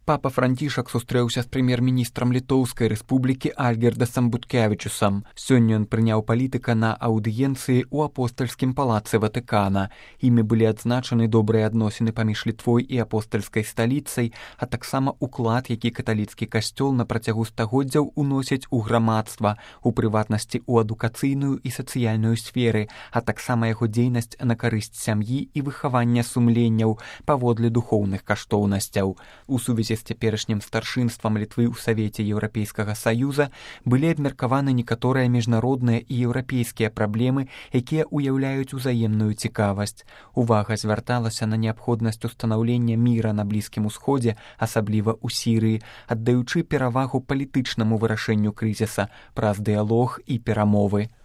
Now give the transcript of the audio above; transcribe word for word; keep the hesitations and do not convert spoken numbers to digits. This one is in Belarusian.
Папа Францішак сустрэўся з прэм'ер-міністрам Літоўскай рэспублікі Альгердасам Буткевічусам. Сёння ён прыняў палітыка на аўдыенцыі ў апостальскім палацы Ватыкана. Імі былі адзначаны добрыя адносіны паміж Літвой і апостальскай сталіцай, а таксама уклад, які каталіцкі касцёл на працягу стагоддзяў уносіць у грамадства, у прыватнасці ў адукацыйную і сацыяльную сферы, а таксама яго дзейнасць на карысць сям'і і выхавання сумленняў паводле духоўных каштоўнасцяў. У сувязі з цяперашнім старшынствам Літвы ў Савеце Еўрапейскага Саюза былі абмеркаваны некаторыя міжнародныя і еўрапейскія праблемы, якія ўяўляюць узаемную цікавасць. Увага звярталася на неабходнасць устанаўлення міра на Блізкім Усходзе, асабліва ў Сірыі, аддаючы перавагу палітычнаму вырашэнню крызіса праз дыялог і перамовы.